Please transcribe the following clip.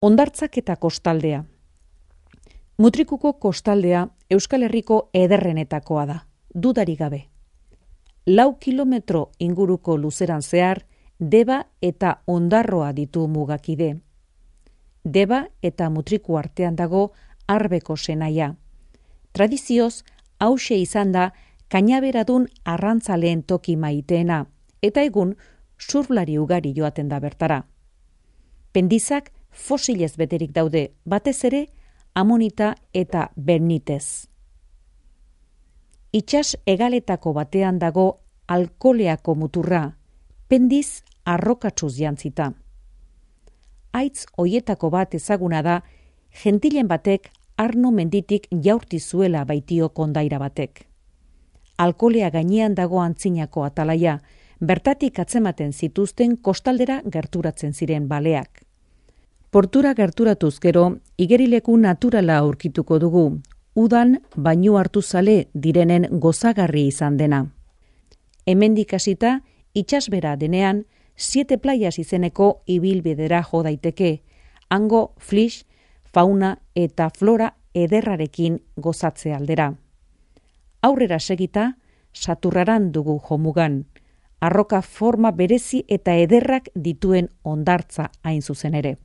Hondartzak eta kostaldea. Mutrikuko kostaldea Euskal Herriko ederrenetakoa da, dudarik gabe. 4 kilometro inguruko luzeran zehar, Deba eta Ondarroa ditu mugakide. Deba eta Mutriku artean dago Arbeko senaia. Tradizioz, hauxe izan da kainaberadun arrantzaleen toki maiteena, eta egun surflari ugari joaten da bertara. Pendizak fosilez beterik daude, batez ere amonita eta bernitez. Itsas hegaletako batean dago Alkoleako muturra, pendiz arrokatsuz jantzita. Haitz hoietako bat ezaguna da, gentilen batek Arno menditik jaurti zuela baitio kondaira batek. Alkolea gainean dago antzinako atalaia, bertatik atzematen zituzten kostaldera gerturatzen ziren baleak. Portura gerturatuz gero, igerileku naturala aurkituko dugu, udan bainu hartu zale direnen gozagarri izan dena. Hemendik hasita, itsasbera denean, 7 playas izeneko ibilbidera jo daiteke, hango flix, fauna eta flora ederrarekin gozatze aldera. Aurrera segita, Saturraran dugu jomugan, arroka forma berezi eta ederrak dituen hondartza hain zuzen ere.